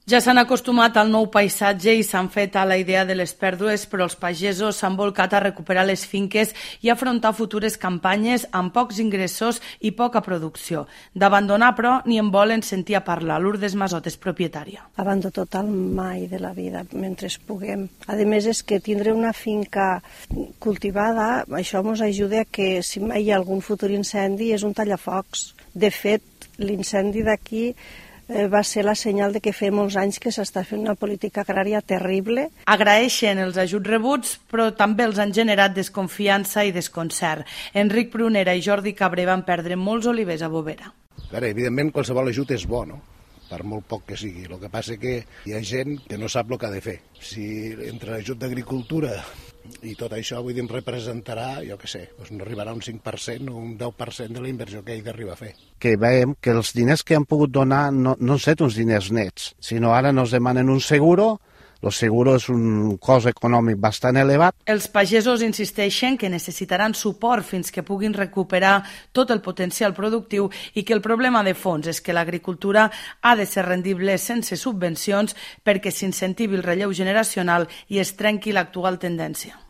Ja s'han acostumat al nou paisatge i s'han fet a la idea de les pèrdues, però els pagesos s'han volcat a recuperar les finques i afrontar futures campanyes amb pocs ingressos i poca producció. D'abandonar, però, ni en volen sentir a parlar. Lourdes Masot és propietària. Abandó total mai de la vida, mentre puguem. A més, és que tindre una finca cultivada, això ens ajuda a que si hi ha algun futur incendi és un tallafocs. De fet, l'incendi d'aquí va ser la senyal de que fa molts anys que s'està fent una política agrària terrible. Agraeixen els ajuts rebuts, però també els han generat desconfiança i desconcert. Enric Prunera i Jordi Cabré van perdre molts olivers a Bovera. Evidentment, qualsevol ajut és bo, no? Per molt poc que sigui. El que passa que hi ha gent que no sap el que ha de fer. Si entre l'ajut d'agricultura i tot això, vull dir, em representarà, jo què sé, doncs no arribarà un 5% o un 10% de la inversió que ell d'arribar a fer. Que veiem que els diners que han pogut donar no han estat uns diners nets, sinó ara nos demanen un seguro. El seguro és un cost econòmic bastant elevat. Els pagesos insisteixen que necessitaran suport fins que puguin recuperar tot el potencial productiu i que el problema de fons és que l'agricultura ha de ser rendible sense subvencions perquè s'incentivi el relleu generacional i es trenqui l'actual tendència.